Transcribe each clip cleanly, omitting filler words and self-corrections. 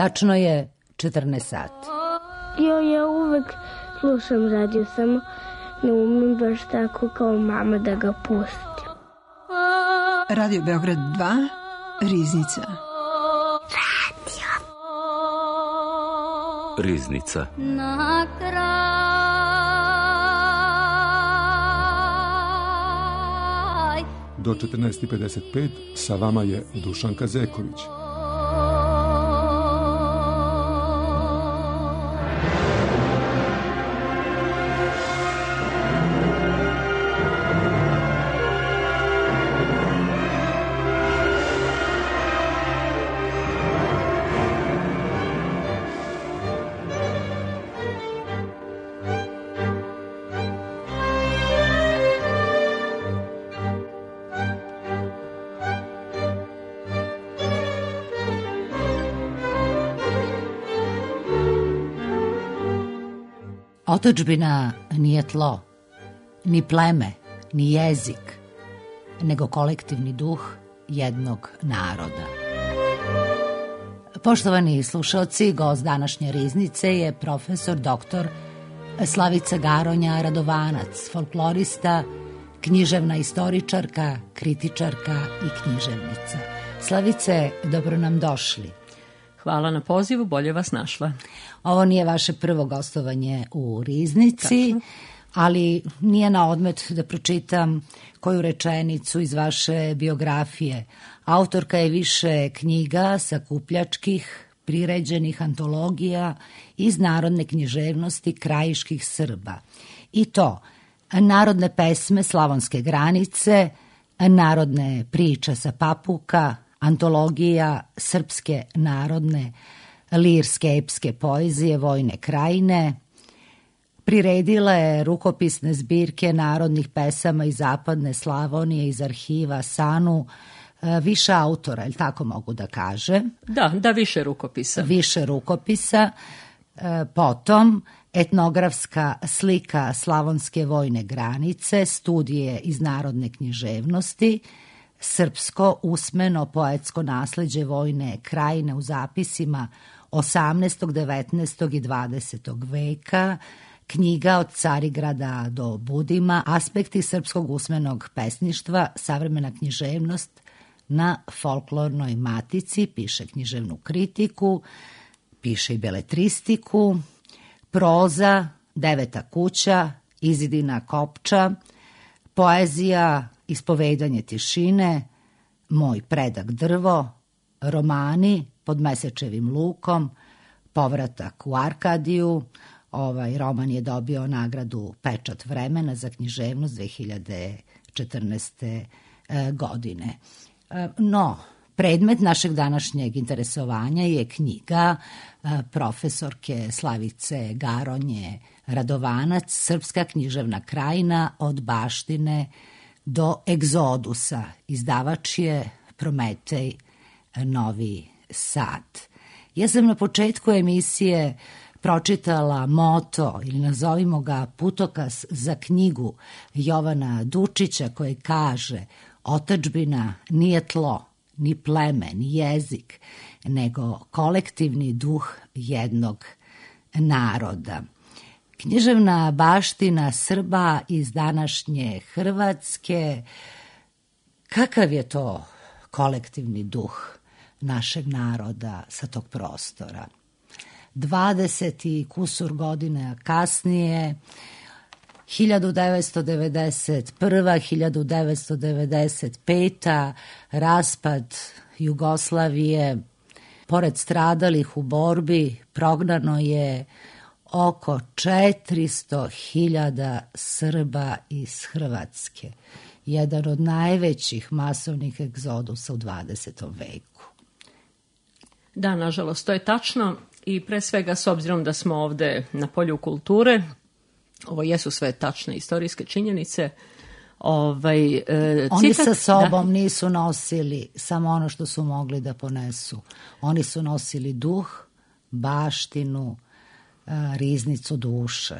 Tačno je 14 sati. Ja uvek slušam radio, samo ne umem baš tako kao mama da ga pustim. Radio Beograd 2, Riznica. Riznica. Na kraj. Do 14:55 sa vama je Dušanka Zeković. Otadžbina nije tlo, ni pleme, ni jezik, nego kolektivni duh jednog naroda. Poštovani slušalci, gost današnje Riznice je profesor dr. Slavica Garonja Radovanac, folklorista, književna istoričarka, kritičarka i književnica. Slavice, dobro nam došli. Hvala na pozivu, bolje vas našla. Ovo nije vaše prvo gostovanje u Riznici, ali nije na odmet da pročitam koju rečenicu iz vaše biografije. Autorka je više knjiga, sakupljačkih, priređenih antologija iz narodne književnosti krajiških Srba. I to narodne pesme Slavonske granice, narodne priče sa Papuka, antologija srpske narodne lirske epske poezije Vojne krajine, priredila je rukopisne zbirke narodnih pesama iz zapadne Slavonije iz arhiva SANU, više autora, ili tako mogu da kažem? Da, više rukopisa. Više rukopisa, potom etnografska slika Slavonske vojne granice, studije iz narodne književnosti, srpsko usmeno poetsko nasleđe Vojne krajine u zapisima 18., 19. i 20. veka, knjiga od Carigrada do Budima, aspekti srpskog usmenog pesništva, savremena književnost na folklornoj matici, piše književnu kritiku, piše i beletristiku, proza, Deveta kuća, Izidina kopča, poezija, Ispovedanje tišine, Moj predak drvo, romani Pod mesečevim lukom, Povratak u Arkadiju. Ovaj roman je dobio nagradu Pečat vremena za književnost 2014. godine. No, predmet našeg današnjeg interesovanja je knjiga profesorke Slavice Garonje Radovanac, Srpska književna krajina od baštine do egzodusa. Izdavač je Prometej, Novi Sad. Ja sam na početku emisije pročitala moto, ili nazovimo ga putokaz za knjigu Jovana Dučića, koji kaže: otadžbina nije tlo, ni pleme, ni jezik, nego kolektivni duh jednog naroda. Književna baština Srba iz današnje Hrvatske, kakav je to kolektivni duh našeg naroda sa tog prostora? 20 i kusur godina kasnije, 1991. 1995. raspad Jugoslavije, pored stradalih u borbi, prognano je oko 400.000 Srba iz Hrvatske. Jedan od najvećih masovnih egzodusa u 20. veku. Da, nažalost, to je tačno i pre svega s obzirom da smo ovde na polju kulture, ovo jesu sve tačne istorijske činjenice. Oni sa sobom nisu nosili samo ono što su mogli da ponesu. Oni su nosili duh, baštinu, riznicu duše.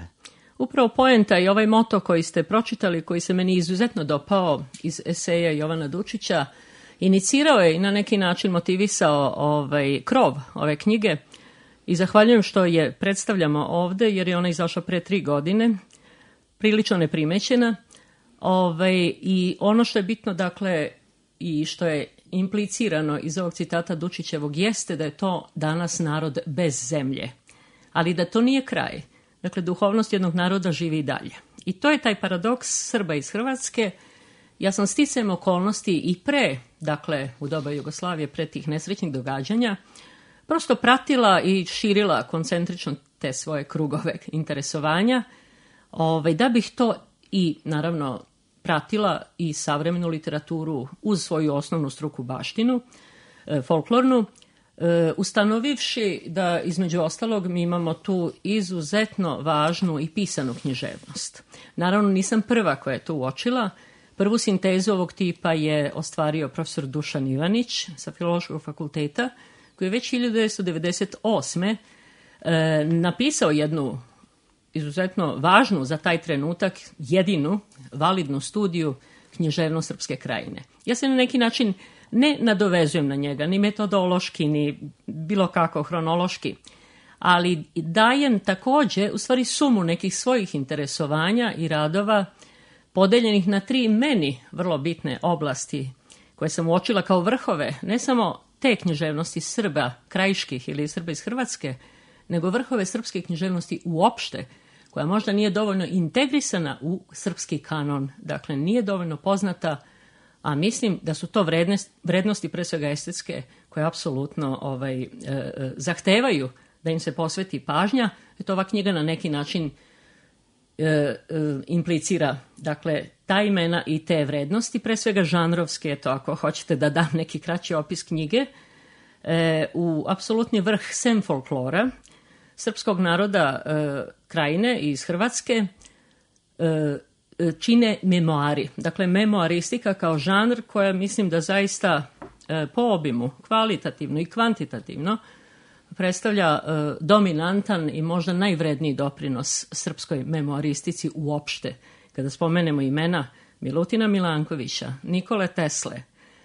Upravo poenta i ovaj moto koji ste pročitali, koji se meni izuzetno dopao iz eseja Jovana Dučića, inicirao je i na neki način motivisao krov ove knjige i zahvaljujem što je predstavljamo ovde, jer je ona izašla pre 3 godine, prilično neprimećena. I ono što je bitno, dakle, i što je implicirano iz ovog citata Dučićevog jeste da je to danas narod bez zemlje, ali da to nije kraj. Dakle, duhovnost jednog naroda živi i dalje. I to je taj paradoks Srba iz Hrvatske. Ja sam sticajem okolnosti i pre, dakle, u doba Jugoslavije, pre tih nesrećnih događanja, prosto pratila i širila koncentrično te svoje krugove interesovanja, da bih to i, naravno, pratila i savremenu literaturu uz svoju osnovnu struku baštinu, folklornu, ustanovivši da, između ostalog, mi imamo tu izuzetno važnu i pisanu književnost. Naravno, nisam prva koja je to uočila. Prvu sintezu ovog tipa je ostvario profesor Dušan Ivanić sa Filološkog fakulteta, koji je već 1998. Napisao jednu izuzetno važnu za taj trenutak, jedinu validnu studiju književnost Srpske krajine. Ja se na neki način ne nadovezujem na njega, ni metodološki, ni bilo kako hronološki, ali dajem takođe, u stvari, sumu nekih svojih interesovanja i radova podeljenih na 3 meni vrlo bitne oblasti koje sam uočila kao vrhove, ne samo te književnosti Srba krajiških ili Srba iz Hrvatske, nego vrhove srpske književnosti uopšte, koja možda nije dovoljno integrisana u srpski kanon, dakle nije dovoljno poznata, a mislim da su to vrednosti, pre svega estetske, koje apsolutno zahtevaju da im se posveti pažnja. Eto, ova knjiga na neki način implicira, dakle, ta imena i te vrednosti, pre svega žanrovske, eto, ako hoćete da dam neki kraći opis knjige, u apsolutni vrh sem folklora srpskog naroda krajine iz Hrvatske čine memoari. Dakle, memoaristika kao žanr koja mislim da zaista po obimu, kvalitativno i kvantitativno, predstavlja dominantan i možda najvredniji doprinos srpskoj memoaristici uopšte. Kada spomenemo imena Milutina Milankovića, Nikole Tesle,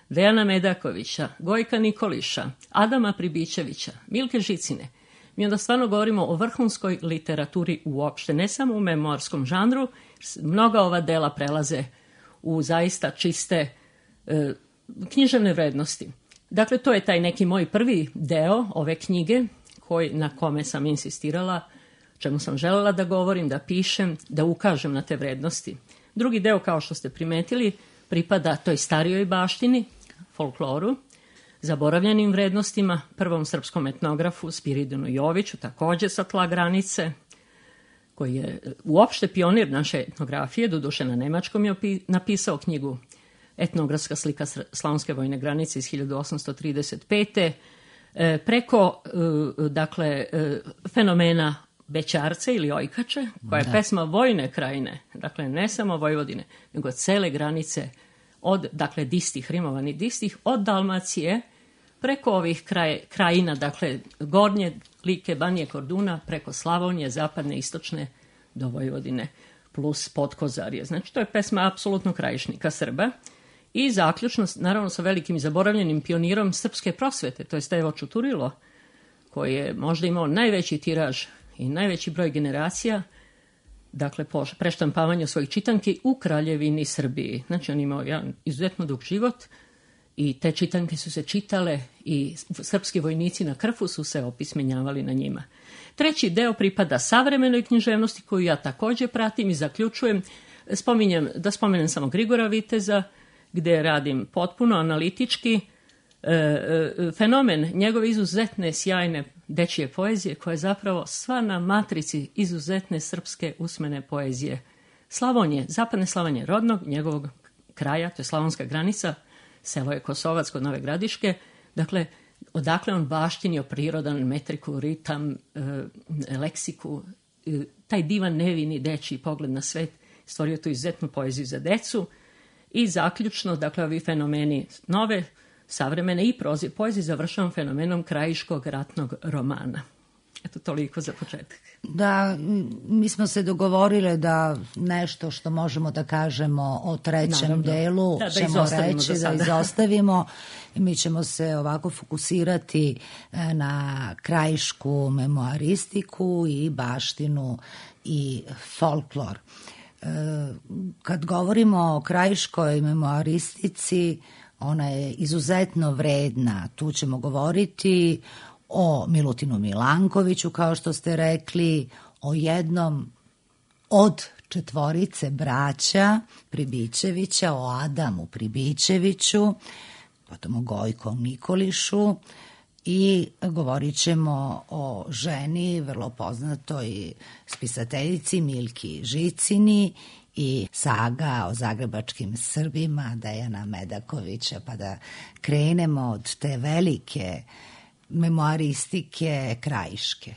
Dejana Medakovića, Gojka Nikoliša, Adama Pribićevića, Milke Žicine, mi onda stvarno govorimo o vrhunskoj literaturi uopšte, ne samo u memoarskom žanru. Mnoga ova dela prelaze u zaista čiste književne vrednosti. Dakle, to je taj neki moj prvi deo ove knjige na kome sam insistirala, čemu sam želela da govorim, da pišem, da ukažem na te vrednosti. Drugi deo, kao što ste primetili, pripada toj starijoj baštini, folkloru, zaboravljenim vrednostima, prvom srpskom etnografu Spiridonu Joviću, takođe sa tla granice, koji je uopšte pionir naše etnografije, doduše na nemačkom je napisao knjigu Etnografska slika slavonske vojne granice iz 1835. Preko, dakle, fenomena Bećarce ili Ojkače, koja je pesma vojne krajine, dakle ne samo Vojvodine, nego cele granice od, dakle, distih, rimovanih distih, od Dalmacije preko ovih krajina, dakle, Gornje Like, Banije, Korduna, preko Slavonije, zapadne, istočne do Vojvodine, plus Podkozarje. Znači, to je pesma apsolutno krajišnika Srba. I zaključno, naravno, sa velikim zaboravljenim pionirom srpske prosvete, to je Stevo Čuturilo, koji je možda imao najveći tiraž i najveći broj generacija, dakle, po preštampavanju svojih čitanki u Kraljevini Srbiji. Znači, on imao jedan izuzetno dug život i te čitanke su se čitale i srpski vojnici na Krfu su se opismenjavali na njima. Treći deo pripada savremenoj književnosti, koju ja takođe pratim i zaključujem. Da spomenem samo Grigora Viteza, gde radim potpuno analitički fenomen njegove izuzetne, sjajne dečije poezije, koja je zapravo sva na matrici izuzetne srpske usmene poezije. Slavonije, zapadne Slavonije, rodnog njegovog kraja, to je slavonska granica, selo je Kosovac kod Nove Gradiške, dakle, odakle on baštinio prirodan metriku, ritam, leksiku, taj divan nevini dečiji pogled na svet, stvorio tu izuzetnu poeziju za decu. I zaključno, dakle, ovi fenomeni nove, savremene i poezije završavam fenomenom krajiškog ratnog romana. Eto, toliko za početak. Da, mi smo se dogovorile da nešto što možemo da kažemo o trećem delu ćemo reći, da izostavimo. Mi ćemo se ovako fokusirati na krajišku memoaristiku i baštinu i folklor. Kad govorimo o krajiškoj memoaristici, ona je izuzetno vredna. Tu ćemo govoriti o Milutinu Milankoviću, kao što ste rekli, o jednom od 4 braća Pribićevića, o Adamu Pribićeviću, potom o Gojkom Nikolišu, i govorit ćemo o ženi, vrlo poznatoj spisateljici Milki Žicini, i saga o zagrebačkim Srbima Dejana Medakovića, pa da krenemo od te velike memoaristike krajiške.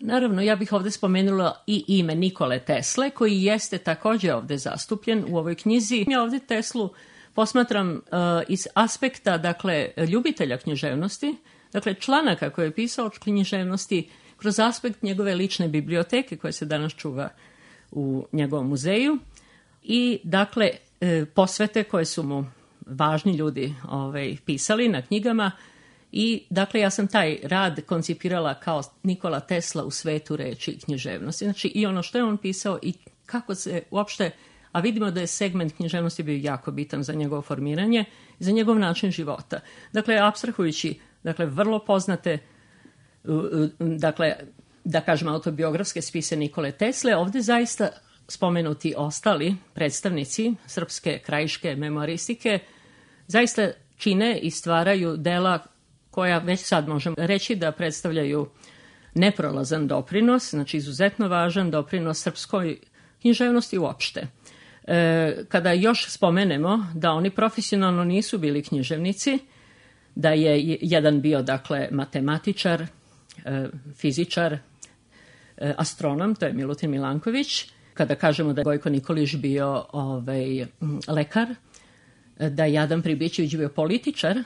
Naravno, ja bih ovde spomenula i ime Nikole Tesle, koji jeste takođe ovde zastupljen u ovoj knjizi. Ja ovde Teslu posmatram iz aspekta, dakle, ljubitelja književnosti, dakle, članaka koje je pisao o književnosti kroz aspekt njegove lične biblioteke koja se danas čuva u njegovom muzeju i, dakle, posvete koje su mu važni ljudi pisali na knjigama. I, dakle, ja sam taj rad koncipirala kao Nikola Tesla u svetu reči književnosti. Znači, i ono što je on pisao i kako se uopšte, a vidimo da je segment književnosti bio jako bitan za njegovo formiranje i za njegov način života. Dakle, apstrahujući, dakle, vrlo poznate, dakle, da kažem, autobiografske spise Nikole Tesle, ovde zaista spomenuti ostali predstavnici srpske krajiške memoaristike zaista čine i stvaraju dela koja već sad možemo reći da predstavljaju neprolazan doprinos, znači izuzetno važan doprinos srpskoj književnosti uopšte. Kada još spomenemo da oni profesionalno nisu bili književnici, da je jedan bio, dakle, matematičar, fizičar, astronom, to je Milutin Milanković, kada kažemo da je Gojko Nikolić bio lekar, da je Adam Pribićević bio političar,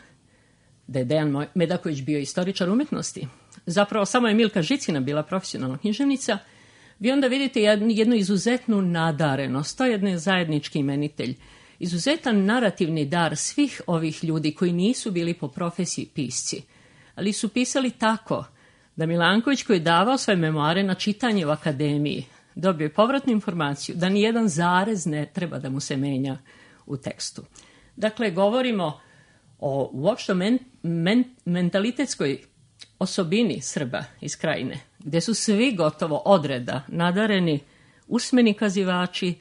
da je Dejan Medaković bio istoričar umetnosti. Zapravo samo je Milka Žicina bila profesionalna književnica. Vi onda vidite jednu izuzetnu nadarenost, to je jedan zajednički imenitelj, izuzetan narativni dar svih ovih ljudi koji nisu bili po profesiji pisci, ali su pisali tako da Milanković, koji je davao svoje memoare na čitanje u akademiji, dobio je povratnu informaciju da nijedan zarez ne treba da mu se menja u tekstu. Dakle, govorimo o uopšte mentalitetskoj osobini Srba iz Krajine, gde su svi gotovo odreda nadareni usmeni kazivači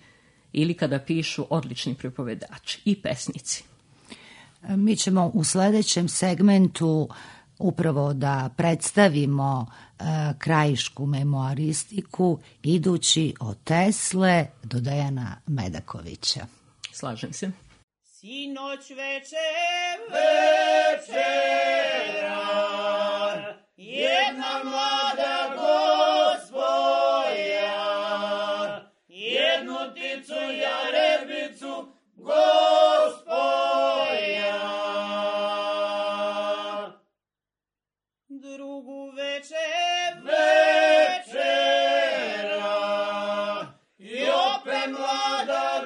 ili kada pišu odlični pripovedači i pesnici. Mi ćemo u sledećem segmentu upravo da predstavimo krajišku memoaristiku idući od Tesle do Dejana Medakovića. Slažem se. Sinoć večera, jedna mlada gospoja, jednu ticu jarebicu gospoja, drugu večera, i opet mlada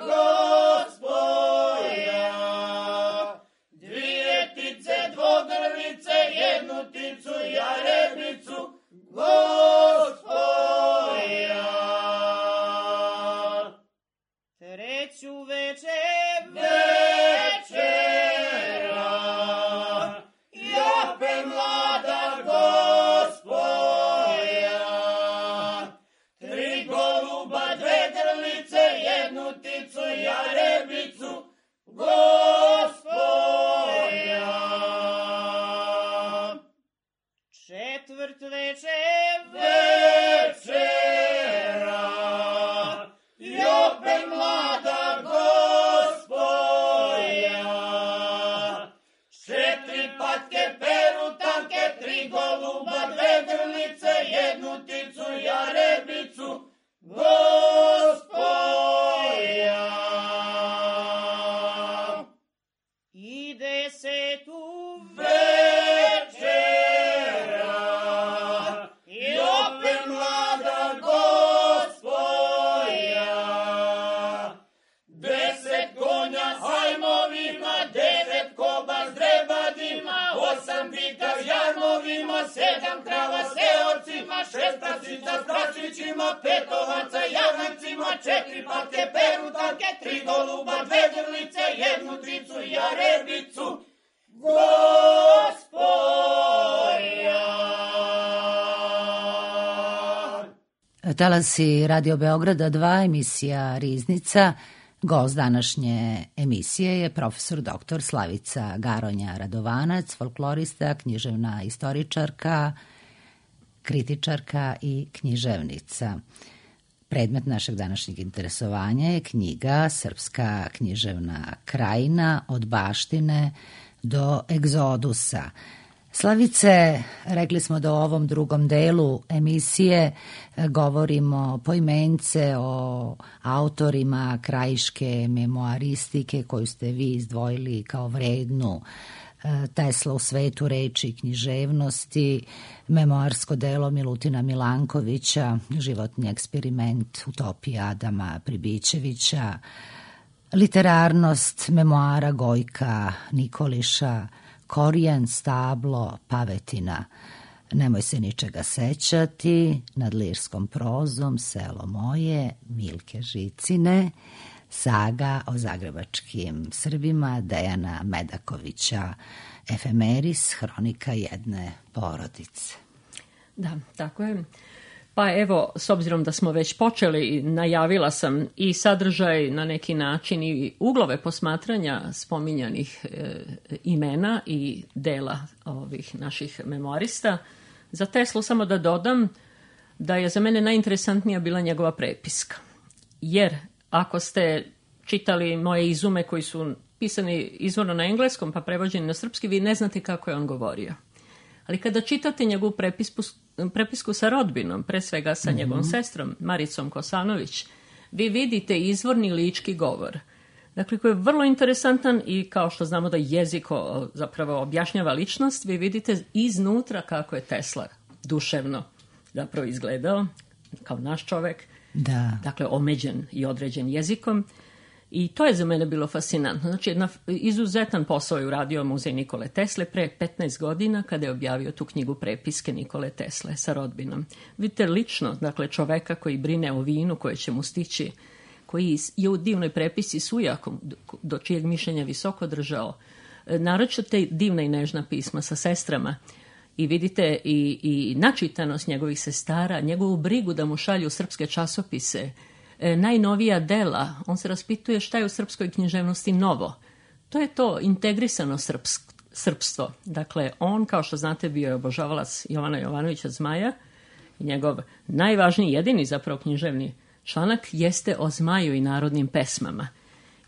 dvogrlice, jednu ticu jarebicu gospoja. Treću večera, i opet mlada gospoja, tri goluba, dve grlice, jednu ticu jarebicu gospoja. Četvrt večera, i opet mlada gospoja, četiri patke perutanke, tri goluba, dve grlice, jednu ticu jarebicu gospoja. I desetu večera, i Jarebicu, Gospodja. Talasi Radio Beograda 2, emisija Riznica. Gost današnje emisije je profesor dr. Slavica Garonja Radovanac, folklorista, književna istoričarka, kritičarka i književnica. Predmet našeg današnjeg interesovanja je knjiga Srpska književna krajina od baštine do egzodusa. Slavice, rekli smo da u ovom drugom delu emisije govorimo poimence o autorima krajiške memoaristike koju ste vi izdvojili kao vrednu. Tesla u svetu reči i književnosti, memoarsko delo Milutina Milankovića, životni eksperiment utopija Adama Pribićevića, literarnost memoara Gojka Nikoliša, Korijan, stablo, pavetina, nemoj se ničega sećati, nad lirskom prozom, selo moje, Milke Žicine, saga o zagrebačkim Srbima Dejana Medakovića, efemeris, hronika jedne porodice. Da, tako je. Pa evo, s obzirom da smo već počeli, najavila sam i sadržaj na neki način i uglove posmatranja spominjanih imena i dela ovih naših memoarista. Za Teslu samo da dodam da je za mene najinteresantnija bila njegova prepiska. Jer ako ste čitali moje izume koji su pisani izvorno na engleskom pa prevođeni na srpski, vi ne znate kako je on govorio. Ali kada čitate njegovu prepisku sa rodbinom, pre svega sa njegovom sestrom, Maricom Kosanović, vi vidite izvorni lički govor. Dakle, koji je vrlo interesantan i kao što znamo da jezik zapravo objašnjava ličnost, vi vidite iznutra kako je Tesla duševno zapravo izgledao, kao naš čovek, Da. dakle omeđen i određen jezikom. I to je za mene bilo fascinantno. Znači, izuzetan posao je uradio Muzej Nikole Tesle pre 15 godina kada je objavio tu knjigu prepiske Nikole Tesle sa rodbinom. Vidite lično, dakle, čoveka koji brine o vinu koje će mu stići, koji je u divnoj prepisci s ujakom, do čijeg mišljenja visoko držao. Naročito te divna i nežna pisma sa sestrama. I vidite i načitanost njegovih sestara, njegovu brigu da mu šalju srpske časopise, najnovija dela, on se raspituje šta je u srpskoj književnosti novo. To je to integrisano srpstvo. Dakle, on, kao što znate, bio je obožavalac Jovana Jovanovića Zmaja i njegov najvažniji, jedini zapravo književni članak jeste o Zmaju i narodnim pesmama.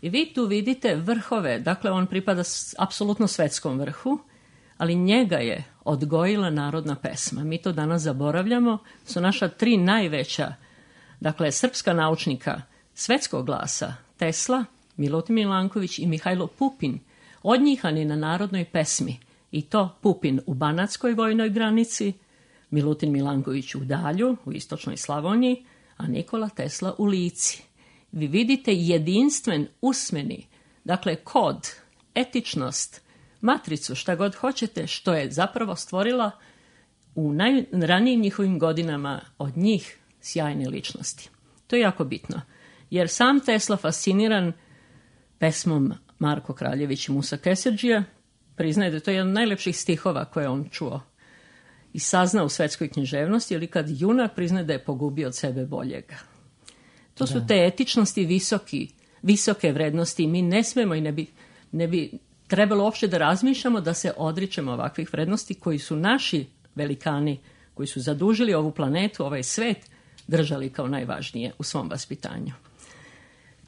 I vi tu vidite vrhove, dakle, on pripada apsolutno svetskom vrhu, ali njega je odgojila narodna pesma. Mi to danas zaboravljamo, su naša 3 najveća, dakle, srpska naučnika svetskog glasa, Tesla, Milutin Milanković i Mihajlo Pupin, odnjihani na narodnoj pesmi. I to Pupin u Banatskoj vojnoj granici, Milutin Milanković u Dalju, u istočnoj Slavoniji, a Nikola Tesla u Lici. Vi vidite jedinstven usmeni, dakle, kod, etičnost, matricu, šta god hoćete, što je zapravo stvorila u najranijim njihovim godinama od njih sjajne ličnosti. To je jako bitno, jer sam Tesla fasciniran pesmom Marko Kraljević i Musa Keserđija priznaje da je to jedan od najlepših stihova koje on čuo i saznao u svetskoj književnosti, ili kad junak priznaje da je pogubio od sebe boljega. To su te etičnosti visoke vrednosti i mi ne smemo i ne bi trebalo uopšte da razmišljamo da se odričemo ovakvih vrednosti koji su naši velikani, koji su zadužili ovu planetu, ovaj svet, držali kao najvažnije u svom vaspitanju.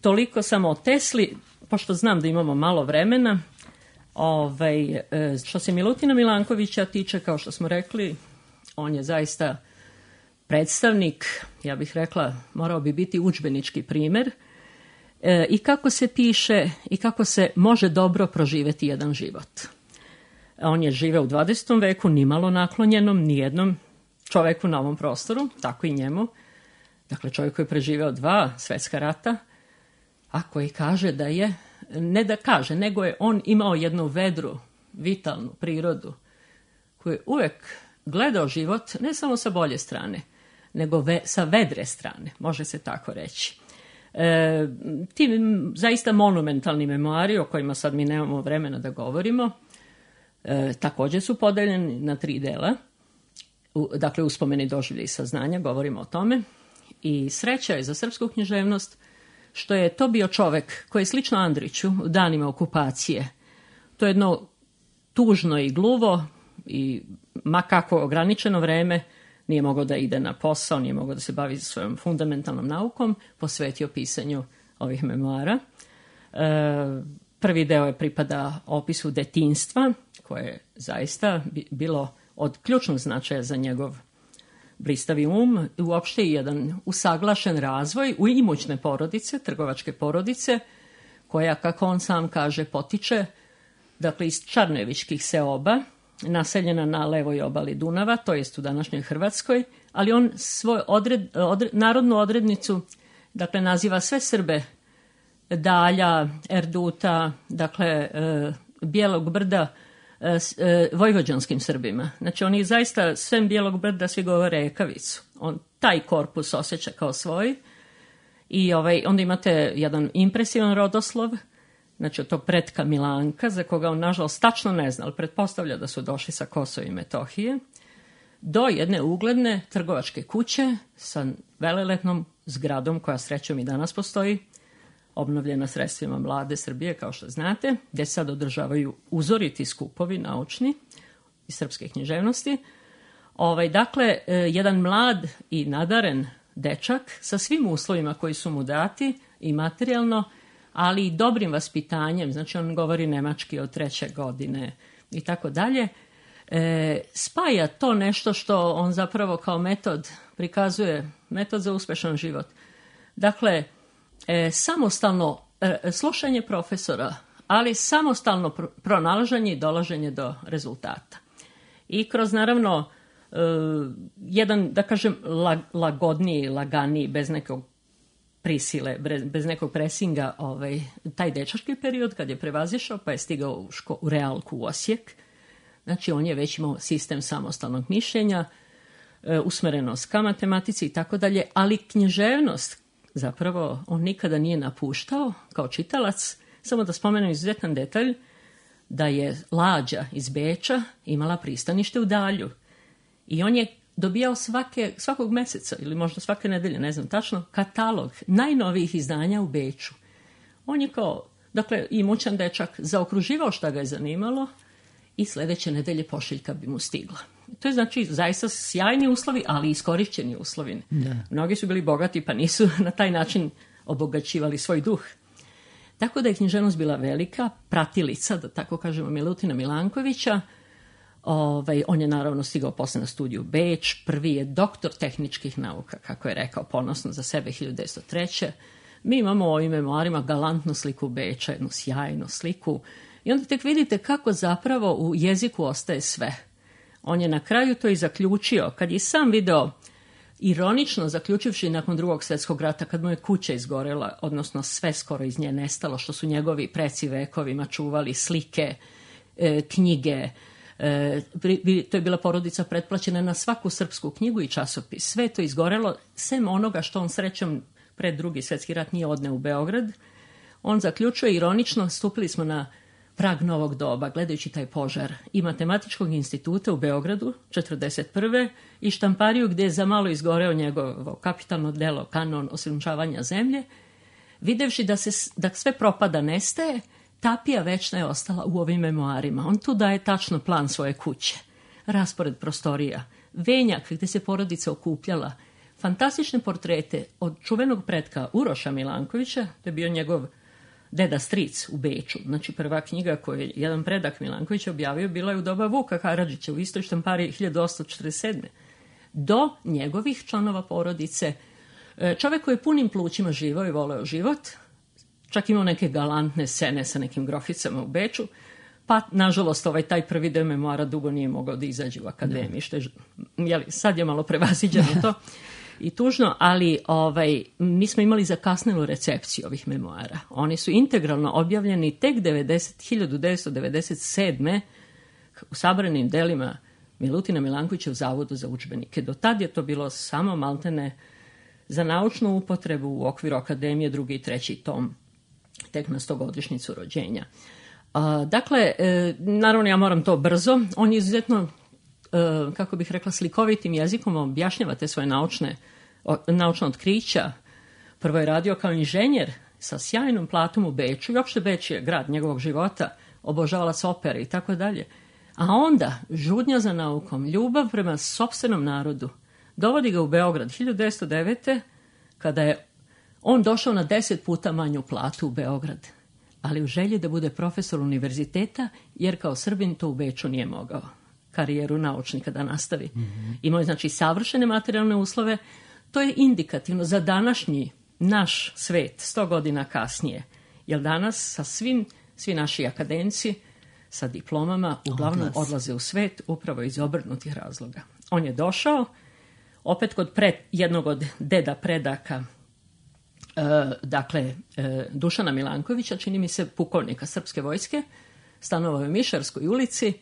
Toliko samo o Tesli, pošto znam da imamo malo vremena. Što se Milutina Milankovića tiče, kao što smo rekli, on je zaista predstavnik, ja bih rekla, morao bi biti udžbenički primer, i kako se piše i kako se može dobro proživeti jedan život. On je živeo u 20. veku, nimalo naklonjenom nijednom čoveku na ovom prostoru, tako i njemu. Dakle, čovjek koji je preživeo 2 svetska rata, a koji kaže da je, ne da kaže, nego je on imao jednu vedru, vitalnu prirodu, koji je uvek gledao život ne samo sa bolje strane, nego sa vedre strane, može se tako reći. Ti zaista monumentalni memoari, o kojima sad mi nemamo vremena da govorimo, također su podeljeni na 3 dela. Dakle, uspomeni, doživlje i saznanja, govorimo o tome. I sreća je za srpsku književnost što je to bio čovek koji je slično Andriću u danima okupacije. To je jedno tužno i gluvo i ma kako ograničeno vreme, nije mogao da ide na posao, nije mogao da se bavi svojom fundamentalnom naukom, posvetio pisanju ovih memoara. Prvi deo je pripada opisu detinjstva, koje je zaista bilo od ključnog značaja za njegov blistavi um, uopšte i jedan usaglašen razvoj u imućne porodice, trgovačke porodice, koja, kako on sam kaže, potiče, dakle, iz Čarnevičkih seoba, naseljena na levoj obali Dunava, to jest u današnjoj Hrvatskoj, ali on svoju narodnu odrednicu, dakle, naziva sve Srbe Dalja, Erduta, dakle, Bijelog brda, vojvođanskim Srbima. Znači, oni zaista svem Bijelog brda svi govore Ekavicu. On taj korpus osjeća kao svoj. I onda imate jedan impresivan rodoslov, znači od tog pretka Milanka, za koga on nažalost tačno ne zna, ali pretpostavlja da su došli sa Kosova i Metohije, do jedne ugledne trgovačke kuće sa velelepnom zgradom koja srećom i danas postoji, obnovljena sredstvima Vlade Srbije, kao što znate, gdje sad održavaju uzoriti skupovi naučni iz srpske književnosti. Dakle, jedan mlad i nadaren dečak sa svim uslovima koji su mu dati i materijalno, ali i dobrim vaspitanjem, znači on govori nemački od 3. godine i tako dalje, spaja to nešto što on zapravo kao metod prikazuje, metod za uspešan život. Dakle, samostalno slušanje profesora, ali samostalno pronalaženje i dolaženje do rezultata. I kroz, naravno, jedan, da kažem, lagodniji, laganiji, bez nekog prisile, bez nekog presinga, taj dečački period kad je prevazišao, pa je stigao u realku u Osijek. Znači, on je već imao sistem samostalnog mišljenja, usmerenost ka matematici i tako dalje, ali književnost zapravo on nikada nije napuštao kao čitalac. Samo da spomenem izuzetan detalj, da je Lađa iz Beča imala pristanište u Dalju. I on je dobijao svakog meseca, ili možda svake nedelje, ne znam tačno, katalog najnovijih izdanja u Beču. On je kao, dakle, imućan dečak, zaokruživao šta ga je zanimalo i sljedeće nedelje pošiljka bi mu stigla. To je, znači, zaista sjajni uslovi, ali iskorišćeni uslovi. Da. Mnogi su bili bogati, pa nisu na taj način obogaćivali svoj duh. Tako da je književnost bila velika pratilica, da tako kažemo, Milutina Milankovića. On je naravno stigao posle na studiju Beč, prvi je doktor tehničkih nauka, kako je rekao ponosno za sebe 1903. Mi imamo u ovim memoarima galantnu sliku Beča, jednu sjajnu sliku. I onda tek vidite kako zapravo u jeziku ostaje sve. On je na kraju to i zaključio, kad je sam video, ironično zaključivši nakon Drugog svjetskog rata, kad mu je kuća izgorela, odnosno sve skoro iz nje nestalo, što su njegovi preci vekovima čuvali, slike, knjige. To je bila porodica pretplaćena na svaku srpsku knjigu i časopis. Sve to izgorelo, sem onoga što on srećom pred Drugi svjetski rat nije odneo u Beograd. On zaključuje ironično, stupili smo na prag novog doba, gledajući taj požar i Matematičkog instituta u Beogradu 1941. i štampariju gdje je za malo izgoreo njegovo kapitalno delo Kanon osunčavanja zemlje, videvši da sve propada, nestaje, tapija večna je ostala u ovim memoarima. On tu daje tačno plan svoje kuće, raspored prostorija, venjak gdje se porodica okupljala, fantastične portrete od čuvenog pretka Uroša Milankovića, to je bio njegov deda stric u Beču. Znači, prva knjiga koju je jedan predak Milanković objavio bila je u doba Vuka Karadžića u istoj štampariji 1847. Do njegovih članova porodice. Čovjek koji je punim plućima živao i voleo život, čak imao neke galantne scene sa nekim groficama u Beču, pa, nažalost, taj prvi deo memoara dugo nije mogao da izađe u akademiji, što je, sad je malo prevaziđeno to i tužno, ali mi smo imali zakasnelu recepciju ovih memoara. Oni su integralno objavljeni tek 1997. u sabranim delima Milutina Milankovića u Zavodu za udžbenike. Do tad je to bilo samo maltene za naučnu upotrebu u okviru akademije, 2. i 3. tom, tek na 100-godišnjicu rođenja. Dakle, naravno ja moram to brzo, on je izuzetno, kako bih rekla, slikovitim jezikom objašnjava te svoje naučna otkrića. Prvo je radio kao inženjer sa sjajnom platom u Beču i uopšte Beč je grad njegovog života, obožavalac opere i tako dalje. A onda žudnja za naukom, ljubav prema sopstvenom narodu, dovodi ga u Beograd 1909. kada je on došao na 10 puta manju platu u Beograd, ali u želji da bude profesor univerziteta, jer kao Srbin to u Beču nije mogao karijeru naučnika da nastavi. Imao je znači savršene materijalne uslove. To je indikativno za današnji naš svet 100 godina kasnije, jer danas sa svi naši akademci sa diplomama uglavnom odlaze u svet upravo iz obrnutih razloga. On je došao opet kod jednog od deda predaka, Dušana Milankovića, čini mi se pukovnika srpske vojske, stanovao je u Mišarskoj ulici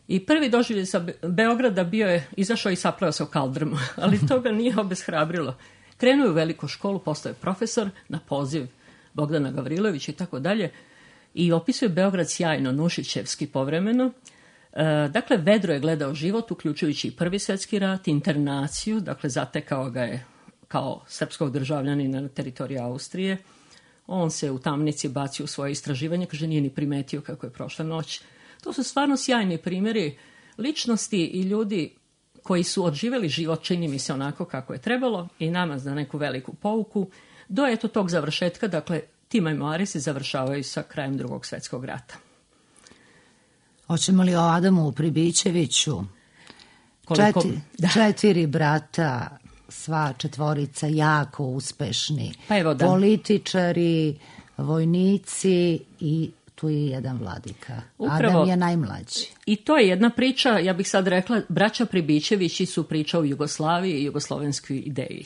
i prvi doživljaj sa Beograda bio je izašao i sapleo se u kaldrmu, ali to ga nije obeshrabrilo. Krenuo je u veliku školu, postao je profesor na poziv Bogdana Gavrilovića i tako dalje i opisuje Beograd sjajno, nušićevski povremeno. Dakle, vedro je gledao život, uključujući i Prvi svjetski rat, internaciju, dakle zatekao ga je kao srpskog državljanina na teritoriji Austrije. On se u tamnici bacio u svoje istraživanje, kaže nije ni primetio kako je prošla noć. To su stvarno sjajni primjeri ličnosti i ljudi koji su odživjeli život, čini mi se, onako kako je trebalo i nama za neku veliku pouku. Do eto tog završetka, dakle, ti memoari se završavaju sa krajem Drugog svjetskog rata. Hoćemo li o Adamu Pribićeviću? Koliko? 4 brata, sva 4 jako uspešni. Pa evo da. Političari, vojnici i tu je jedan vladika. Upravo, Adam je najmlađi. I to je jedna priča, ja bih sad rekla, braća Pribićevići su priča o Jugoslaviji i jugoslovenskoj ideji.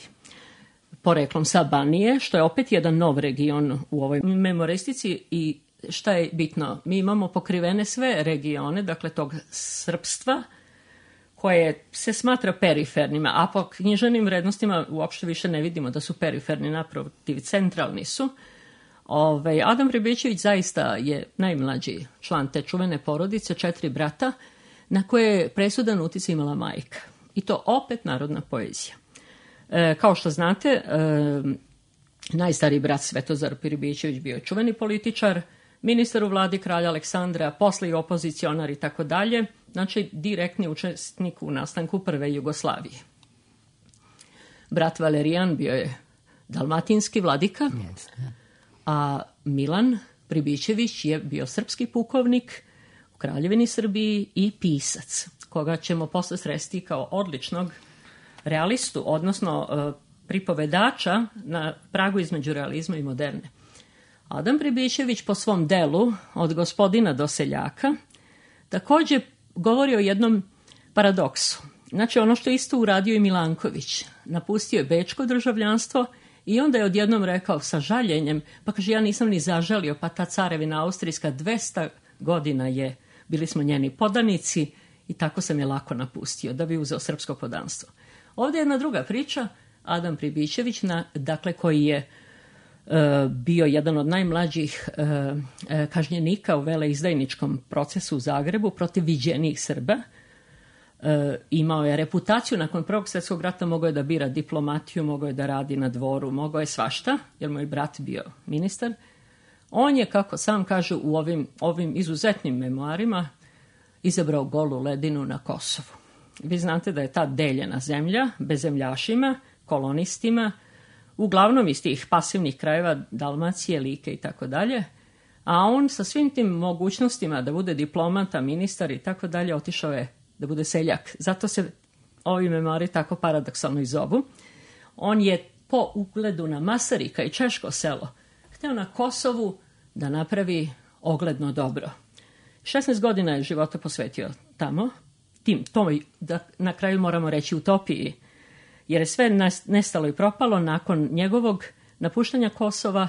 Poreklom sa Banije, što je opet jedan nov region u ovoj memoristici i šta je bitno, mi imamo pokrivene sve regione, dakle tog srpstva, koje se smatra perifernima, a po književnim vrednostima uopšte više ne vidimo da su periferni, naprotiv, centralni su. Adam Pribićević zaista je najmlađi član te čuvene porodice, 4 brata, na koje je presudan utjecaj imala majka. I to opet narodna poezija. Kao što znate, najstariji brat Svetozar Pribićević bio je čuveni političar, ministar u vladi kralja Aleksandra, posle i opozicionar i tako dalje, znači direktni učesnik u nastanku prve Jugoslavije. Brat Valerijan bio je dalmatinski vladika, a Milan Pribićević je bio srpski pukovnik u Kraljevini Srbiji i pisac, koga ćemo posle sresti kao odličnog realistu, odnosno pripovedača na pragu između realizma i moderne. Adam Pribićević po svom delu Od gospodina do seljaka također govori o jednom paradoksu. Znači ono što je isto uradio i Milanković. Napustio je bečko državljanstvo i onda je odjednom rekao sa žaljenjem, pa kaže ja nisam ni zažalio, pa ta carevina austrijska 200 godina je, bili smo njeni podanici i tako sam je lako napustio da bi uzeo srpsko podanstvo. Ovdje je jedna druga priča, Adam Pribićević, dakle koji je bio jedan od najmlađih kažnjenika u veleizdajničkom procesu u Zagrebu protiv viđenijih Srba. Imao je reputaciju, nakon Prvog svjetskog rata mogao je da bira diplomatiju, mogao je da radi na dvoru, mogao je svašta, jer moj brat bio ministar. On je, kako sam kaže u ovim izuzetnim memoarima, izabrao golu ledinu na Kosovu. Vi znate da je ta deljena zemlja bezemljašima, kolonistima, uglavnom iz tih pasivnih krajeva Dalmacije, Like i tako dalje, a on sa svim tim mogućnostima da bude diplomata, ministar i tako dalje, otišao je da bude seljak. Zato se ovi memoari tako paradoksalno i zovu. On je po ugledu na Masarika i Češko selo hteo na Kosovu da napravi ogledno dobro. 16 godina je života posvetio tamo, toj, da na kraju moramo reći utopiji, jer je sve nestalo i propalo nakon njegovog napuštanja Kosova.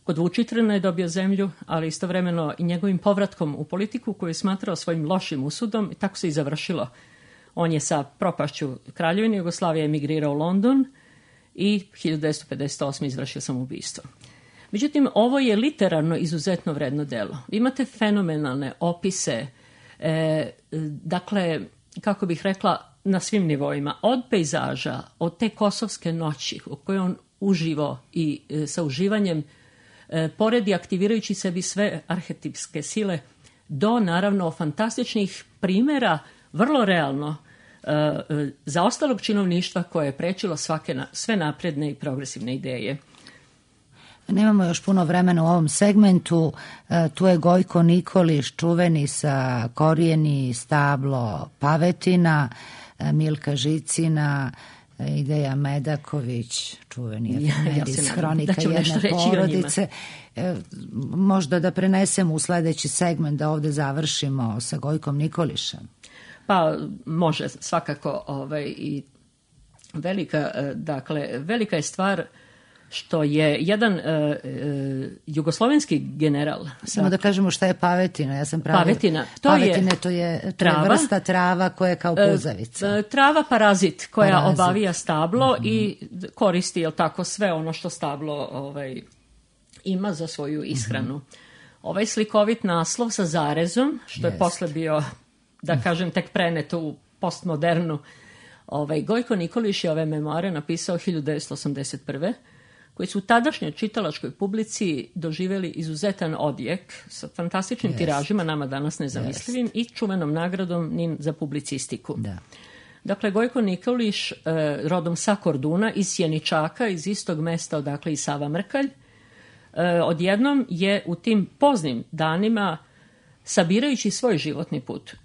Kod Vučitrna je dobio zemlju, ali istovremeno i njegovim povratkom u politiku koju je smatrao svojim lošim usudom i tako se i završilo. On je sa propašću Kraljevine Jugoslavije emigrirao u London i 1958. izvršio samoubistvo. Međutim, ovo je literarno izuzetno vredno delo. Vi imate fenomenalne opise, dakle, kako bih rekla, na svim nivoima, od pejzaža, od te kosovske noći u kojoj on uživo i sa uživanjem poredi aktivirajući sebi sve arhetipske sile, do naravno fantastičnih primjera, vrlo realno, zaostalog činovništva koje je prečilo sve napredne i progresivne ideje. Nemamo još puno vremena u ovom segmentu. Tu je Gojko Nikolić, čuveni sa Korijeni, Stablo, Pavetina, Milka Žicina, Ideja Medaković, čuveni iz Hronika jedne porodice. Možda da prenesemo u sledeći segment, da ovde završimo sa Gojkom Nikolišem. Pa može svakako, i velika je stvar što je jedan jugoslovenski general. Samo da kažemo šta je pavetina. Ja sam Pavetina, to je vrsta trava koja je kao puzavica. Trava parazit koja obavija stablo i koristi, jel tako, sve ono što stablo ima za svoju ishranu. Ovaj slikovit naslov sa zarezom, što je posle bio, da kažem, tek preneto u postmodernu. Gojko Nikolić je ove memoare napisao 1981. koji su u tadašnjoj čitalačkoj publici doživjeli izuzetan odjek sa fantastičnim tiražima, nama danas nezamislivim, i čuvenom nagradom NIN za publicistiku. Da. Dakle, Gojko Nikolić, rodom sa Korduna, iz Sjeničaka, iz istog mesta odakle i Sava Mrkalj, odjednom je u tim poznim danima, sabirajući svoj životni put,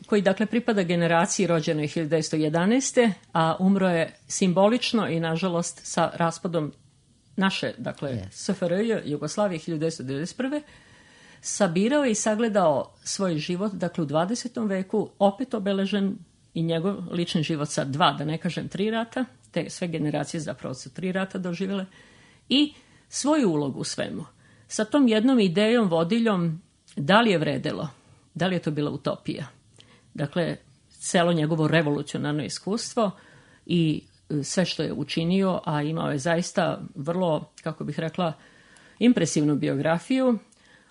koji dakle pripada generaciji rođenoj 1911. a umro je simbolično i nažalost sa raspadom naše, dakle, SFRJ, Jugoslavije 1991. sabirao i sagledao svoj život, dakle, u 20. veku, opet obeležen i njegov lični život sa 2, da ne kažem 3 rata, te sve generacije zapravo su 3 rata doživjele, i svoju ulogu u svemu. Sa tom jednom idejom, vodiljom, da li je vredelo, da li je to bila utopija. Dakle, celo njegovo revolucionarno iskustvo i sve što je učinio, a imao je zaista vrlo, kako bih rekla, impresivnu biografiju.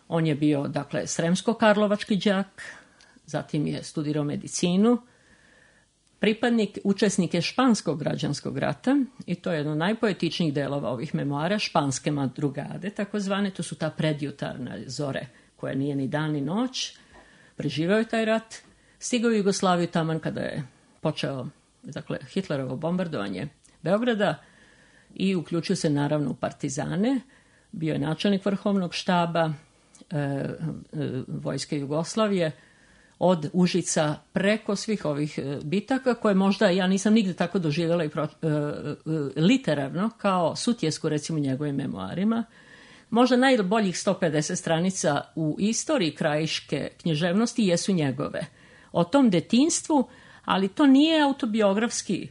On je bio, dakle, sremsko-karlovački đak, zatim je studirao medicinu, učesnik je španskog građanskog rata, i to je jedno od najpoetičnijih delova ovih memoara, španske madrugade, takozvane, to su ta predjutarna zore, koja nije ni dan ni noć. Preživao je taj rat, stigao u Jugoslaviju taman kada je počeo, dakle, Hitlerovo bombardovanje Beograda, i uključio se naravno u partizane. Bio je načelnik vrhovnog štaba vojske Jugoslavije, od Užica preko svih ovih bitaka, koje možda ja nisam nigde tako doživjela i literarno kao Sutjesku, recimo, njegovim memoarima. Možda najboljih 150 stranica u istoriji krajiške književnosti jesu njegove. O tom detinjstvu, ali to nije autobiografski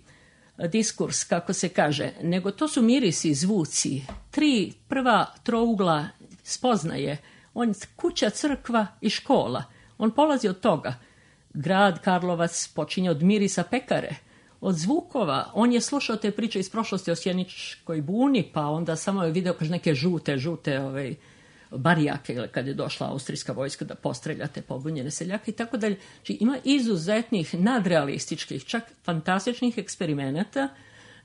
diskurs, kako se kaže, nego to su mirisi, zvuci, 3 prva trougla spoznaje. On kuća, crkva i škola. On polazi od toga. Grad Karlovac počinje od mirisa pekare, od zvukova. On je slušao te priče iz prošlosti o Sjeničkoj buni, pa onda samo je video kaže neke žute barijake, kad je došla austrijska vojska da postrelja te pobunjene seljake i tako dalje. Znači, ima izuzetnih, nadrealističkih, čak fantastičnih eksperimenata.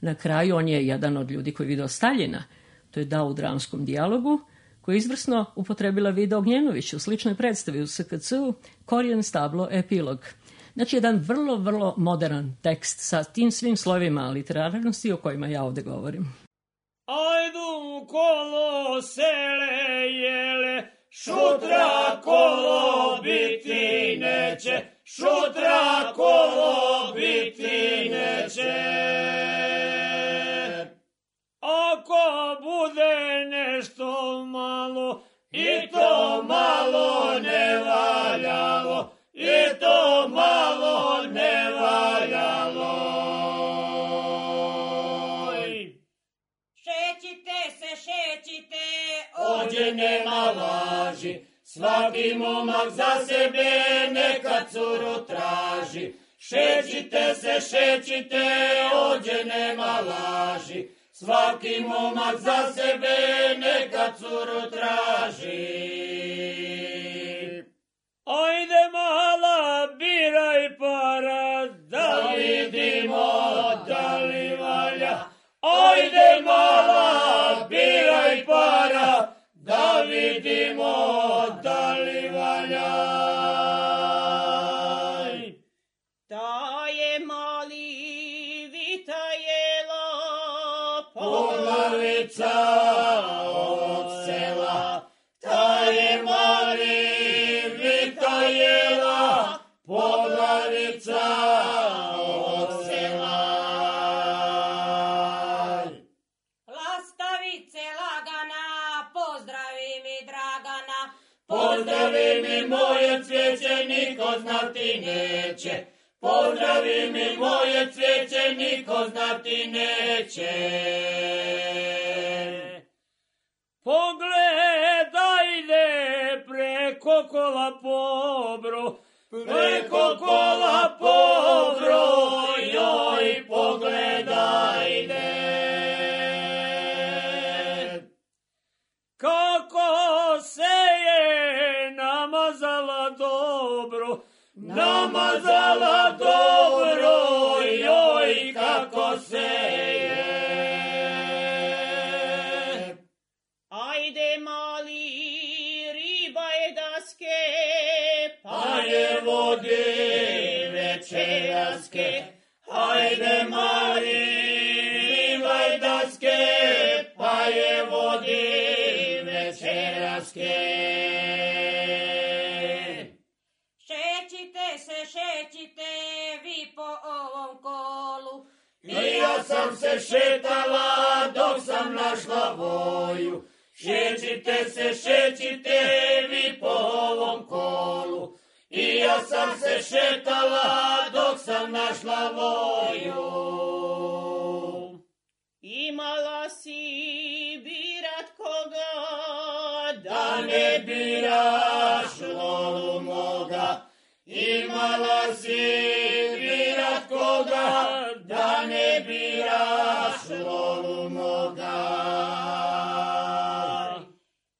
Na kraju on je jedan od ljudi koji je video Staljina. To je dao u dramskom dijalogu, koji je izvrsno upotrebila Vida Ognjenović u sličnoj predstavi u SKC-u, Korijen, Stablo, epilog. Znači, jedan vrlo, vrlo modern tekst sa tim svim slojevima literarnosti o kojima ja ovde govorim. Ajdu kolo sele jele, šutra kolo biti neće, šutra kolo biti neće. Ako bude nešto malo, i to malo ne valjalo, i to malo ne valjalo. Šećite, ovdje nema laži, svaki momak za sebe neka curu traži. Šećite se, šećite, ovdje nema laži. Svaki momak za sebe neka curu traži. Ajde mala, biraj para, da vidimo da li valja. Ajde mala, biraj para, da vidimo da li valja. Da je mali vita jela, poglavica ovog sela. Da je mali vita jela, poglavica ovog sela. lastavice lagana, pozdravi mi Dragana. Pozdravi mi moje cvijeće, niko znati neće. Pozdravi mi moje cvijeće, niko znati neće. Pogledajde preko kola pobro, preko kola pobro, joj pogledajde. Kako se je namazala dobro, namazala dobro, joj kako se je. Ajde mali riba je daske, Pa je vodi večeraske. Ajde mali rivaj daske, pa je vodi večeraske. šećite se, šećite vi po ovom kolu. I ja sam se šetala dok sam našla voju. Šećite se, šećite vi po ovom kolu. I ja sam se šetala dok sam našla voju. Imala si birat koga, Da ne biraš lovu moga. Imala si birat koga, da ne biraš lovu moga.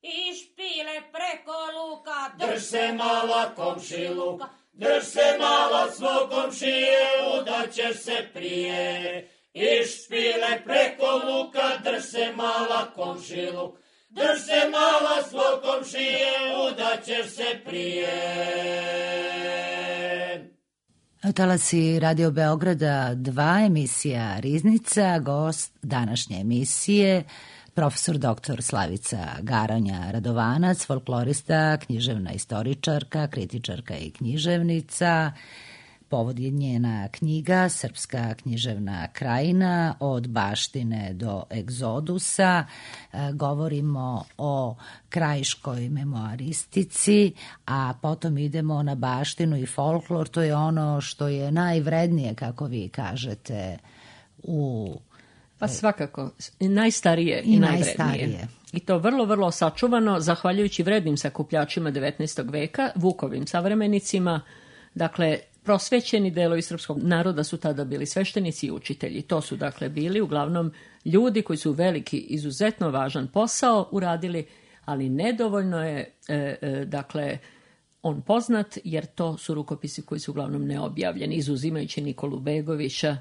i špile preko luka, Drž se mala komšiluka, drž se mala svog komšije, udaćeš se prije. I špile preko luka, drž se mala komšiluk, drž se mala svog komšije, udaćeš se prije. Talasi Radio Beograda 2, emisija Riznica, gost današnje emisije, profesor dr. Slavica Garanja Radovanac, folklorista, književna istoričarka, kritičarka i književnica. Povod je njena knjiga Srpska književna krajina od baštine do egzodusa. Govorimo o krajiškoj memoaristici, a potom idemo na baštinu i folklor. To je ono što je najvrednije, kako vi kažete, u... Pa svakako, najstarije i najvrednije. I to vrlo, vrlo sačuvano, zahvaljujući vrednim sakupljačima 19. veka, Vukovim savremenicima. Dakle, prosvećeni delovi srpskog naroda su tada bili sveštenici i učitelji. To su dakle bili uglavnom ljudi koji su veliki, izuzetno važan posao uradili, ali nedovoljno je dakle on poznat, jer to su rukopisi koji su uglavnom neobjavljeni, izuzimajući Nikolu Begovića,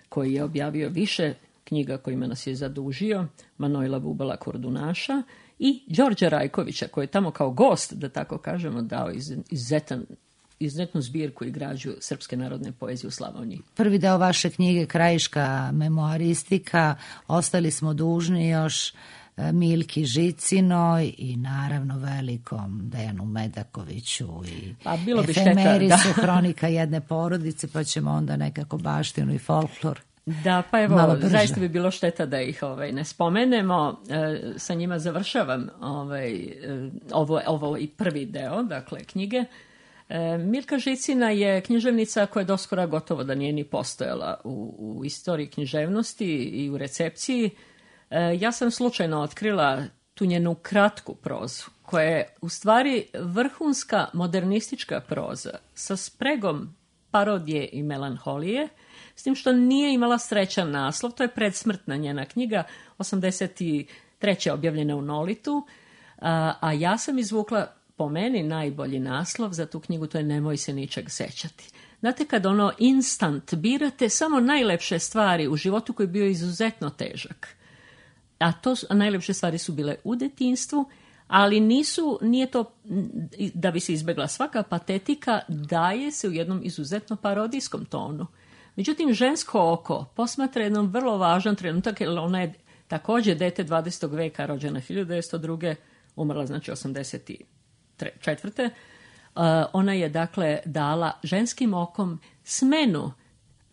koji je objavio više knjiga kojima nas je zadužio, Manojla Bubala Kordunaša, i Đorđa Rajkovića, koji je tamo kao gost, da tako kažemo, dao izuzetnu zbirku i građu srpske narodne poezije u Slavoniji. Prvi deo vaše knjige Krajiška memoaristika ostali smo dužni još Milki Žicinoj i naravno velikom Dejanu Medakoviću i bilo bi efemerisu šteta, hronika jedne porodice, pa ćemo onda nekako baštinu i folklor. Da, pa evo, zaista bi bilo šteta da ih ne spomenemo. Sa njima završavam ovo i prvi deo, dakle, knjige. Milka Žicina je književnica koja doskora gotovo da nije ni postojala u istoriji književnosti i u recepciji. Ja sam slučajno otkrila tu njenu kratku prozu, koja je u stvari vrhunska modernistička proza sa spregom parodije i melanholije, s tim što nije imala srećan naslov, to je predsmrtna njena knjiga, 83. objavljena u Nolitu, a ja sam izvukla po meni najbolji naslov za tu knjigu, to je Nemoj se ničeg sećati. Znate, kad ono instant birate samo najlepše stvari u životu koji je bio izuzetno težak, a najlepše stvari su bile u detinjstvu, ali nije to da bi se izbjegla svaka patetika, daje se u jednom izuzetno parodijskom tonu. Međutim, žensko oko posmatra jednom vrlo važan trenutak, jer ona je također dete 20. veka, rođena 1902. umrla znači 84. Ona je dakle dala ženskim okom smenu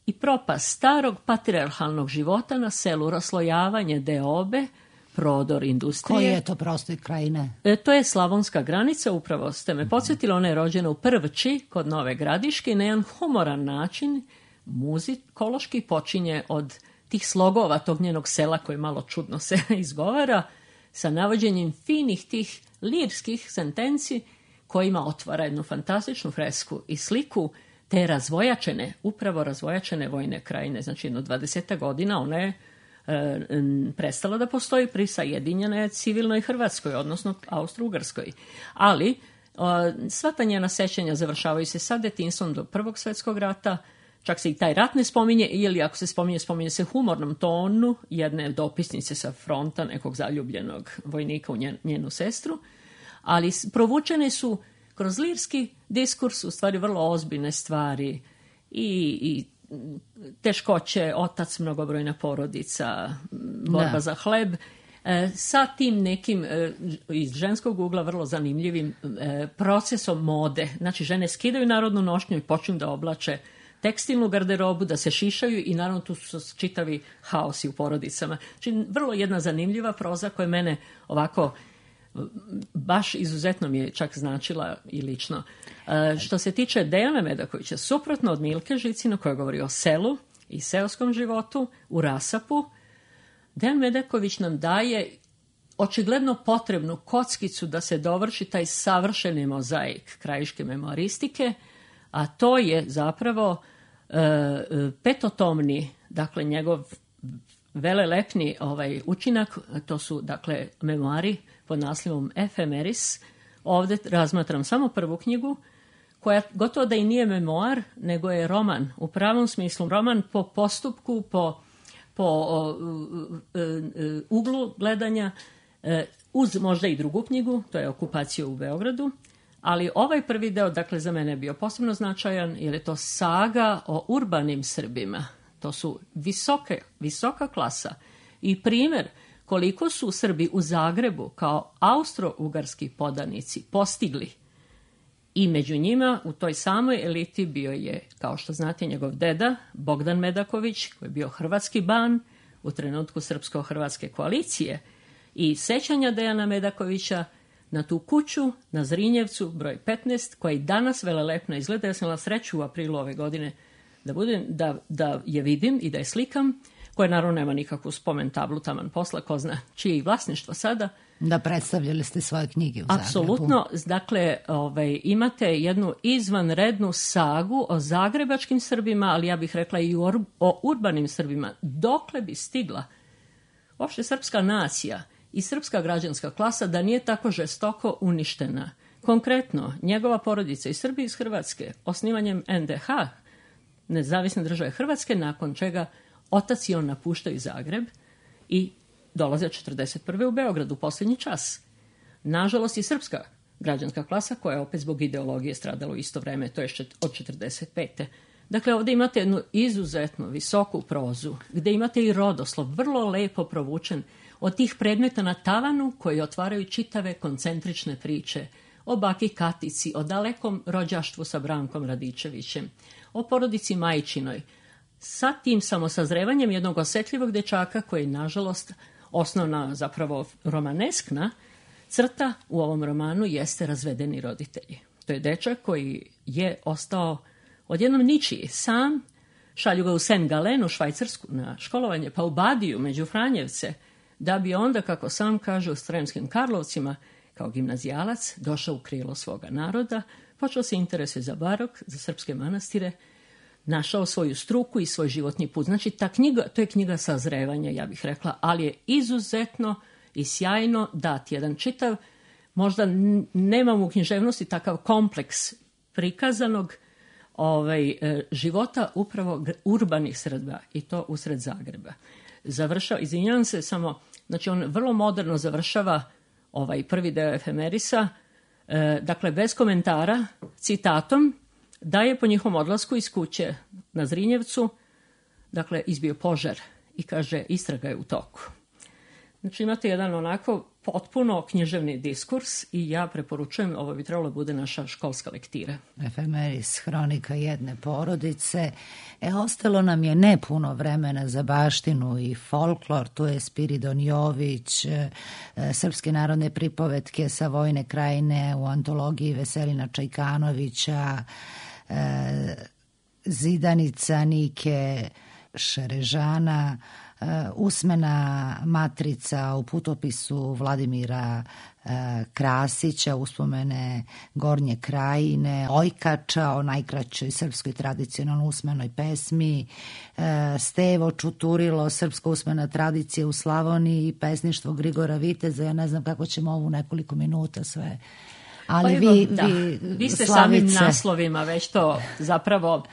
i propast starog patrijarhalnog života na selu, raslojavanje deobe, prodor industrije. Koji je to prostor krajine? To je slavonska granica, upravo ste me podsjetili, ona je rođena u Prvči kod Nove Gradiške i na jedan humoran način muzikološki počinje od tih slogova tog njenog sela koji malo čudno se izgovara, sa navođenjem finih tih lirskih sentenci kojima otvara jednu fantastičnu fresku i sliku te upravo razvojačene vojne krajine. Znači, jedno 20 godina ona je prestala da postoji pri sajedinjenoj civilnoj Hrvatskoj, odnosno Austro-Ugarskoj. Ali sva ta njena sećanja završavaju se sa detinjstvom do Prvog svjetskog rata, čak se i taj rat ne spominje, ili ako se spominje se humornom tonu jedne dopisnice sa fronta, nekog zaljubljenog vojnika u njenu sestru, ali provučene su kroz lirski diskurs u stvari vrlo ozbiljne stvari i teškoće, otac, mnogobrojna porodica, borba za hleb, sa tim nekim iz ženskog ugla vrlo zanimljivim procesom mode. Znači, žene skidaju narodnu nošnju i počinju da oblače tekstilnu garderobu, da se šišaju i naravno tu su čitavi haosi u porodicama. Znači, vrlo jedna zanimljiva proza koja mene ovako baš izuzetno mi je čak značila i lično. Što se tiče Dejana Medakovića, suprotno od Milke Žicina koja govori o selu i seoskom životu u rasapu, Dejan Medaković nam daje očigledno potrebnu kockicu da se dovrši taj savršeni mozaik krajiške memoaristike, a to je zapravo petotomni, dakle njegov velelepni učinak, to su dakle memoari pod naslovom Efemeris. Ovdje razmatram samo prvu knjigu, koja gotovo da i nije memoar, nego je roman, u pravom smislu roman po postupku, po uglu gledanja, uz možda i drugu knjigu, to je Okupacija u Beogradu, ali ovaj prvi deo, dakle, za mene je bio posebno značajan, jer je to saga o urbanim Srbima. To su visoka klasa i primjer koliko su Srbi u Zagrebu kao austro-ugarski podanici postigli. I među njima u toj samoj eliti bio je, kao što znate, njegov deda Bogdan Medaković, koji je bio hrvatski ban u trenutku srpsko-hrvatske koalicije, i sećanja Dejana Medakovića na tu kuću na Zrinjevcu broj 15, koja i danas velelepno izgleda. Ja sam imala sreću u aprilu ove godine da je vidim i da je slikam, koja naravno nema nikakvu spomen tablu, taman posla, ko zna čije i vlasništvo sada. Da, predstavljali ste svoje knjige u Zagrebu. Apsolutno, dakle, imate jednu izvanrednu sagu o zagrebačkim Srbima, ali ja bih rekla i o urbanim Srbima. Dokle bi stigla uopšte srpska nacija i srpska građanska klasa da nije tako žestoko uništena. Konkretno, njegova porodica i Srbi iz Hrvatske, osnivanjem NDH, Nezavisne države Hrvatske, nakon čega otac i on napuštaju Zagreb i dolaze 1941. u Beogradu, posljednji čas. Nažalost i srpska građanska klasa, koja je opet zbog ideologije stradala u isto vreme, to je od 1945. Dakle, ovdje imate jednu izuzetno visoku prozu, gdje imate i rodoslov, vrlo lepo provučen, od tih predmeta na tavanu koji otvaraju čitave koncentrične priče o baki Katici, o dalekom rođaštvu sa Brankom Radičevićem, o porodici Majčinoj, sa tim samosazrevanjem jednog osjetljivog dečaka koji je, nažalost, osnovna, zapravo romaneskna crta u ovom romanu jeste razvedeni roditelji. To je dečak koji je ostao odjednom ničiji, sam, šalju ga u Saint Gallen u Švajcarsku na školovanje, pa u Badiju među Franjevce, da bi onda, kako sam kaže, u Sremskim Karlovcima, kao gimnazijalac, došao u krilo svoga naroda, počeo se interesuje za barok, za srpske manastire, našao svoju struku i svoj životni put. Znači, ta knjiga, to je knjiga sazrevanja, ja bih rekla, ali je izuzetno i sjajno dat jedan čitav, možda nemam u književnosti takav kompleks prikazanog života upravo urbanih sredba i to usred Zagreba. Izvinjavam se samo, znači on vrlo moderno završava ovaj prvi deo Efemerisa, dakle bez komentara, citatom, da je po njihovom odlasku iz kuće na Zrinjevcu, dakle izbio požar i kaže istraga je u toku. Znači imate jedan onako potpuno književni diskurs i ja preporučujem, ovo bi trebalo bude naša školska lektira. Efemeris, hronika jedne porodice. Ostalo nam je ne puno vremena za baštinu i folklor, tu je Spiridon Jović, srpske narodne pripovetke sa Vojne krajine u antologiji Veselina Čajkanovića, Zidanica Nike Šerežana, usmena matrica u putopisu Vladimira Krasića, uspomene Gornje krajine, Ojkača o najkraćoj srpskoj tradicionalno usmenoj pesmi, Stevo Čuturilo, srpska usmena tradicija u Slavoniji i pesništvo Grigora Viteza. Ja ne znam kako ćemo ovu nekoliko minuta sve. Ali vi ste samim naslovima već to zapravo,